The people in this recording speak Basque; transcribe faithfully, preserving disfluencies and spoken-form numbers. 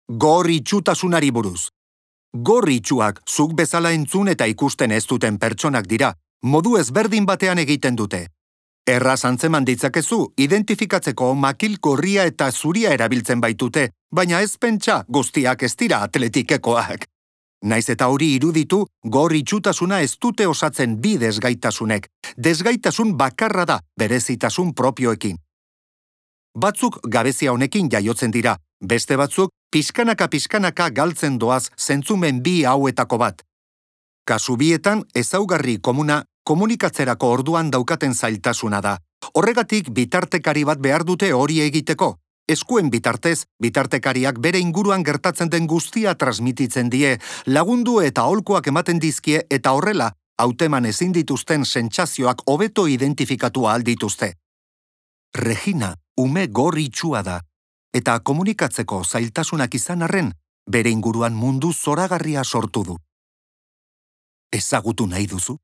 Gor itxutasunari buruz. Gor itxuak zuk bezala entzun eta ikusten ez duten pertsonak dira, modu ezberdin batean egiten dute. Erraz antzeman ditzakezu, identifikatzeko makil gorria eta zuria erabiltzen baitute, baina ez pentsa guztiak ez dira atletikekoak. Naiz eta hori iruditu, gor itxutasuna ez dute osatzen bi desgaitasunek. Desgaitasun bakarra da, berezitasun propioekin. Batzuk gabezia honekin jaiotzen dira, beste batzuk pixkanaka-pixkanaka galtzen doaz zentzumen bi hauetako bat. Kasu bietan ezaugarri komuna komunikatzerako orduan daukaten zailtasuna da. Horregatik bitartekari bat behar dute hori egiteko. Eskuen bitartez, bitartekariak bere inguruan gertatzen den guztia transmititzen die, lagundu eta aholkuak ematen dizkie eta horrela, hauteman ezin dituzten sentsazioak hobeto identifikatu ahal dituzte. Regina, ume gor itxua da, eta komunikatzeko zailtasunak izan arren, bere inguruan mundu zoragarria sortu du. Ezagutu nahi duzu?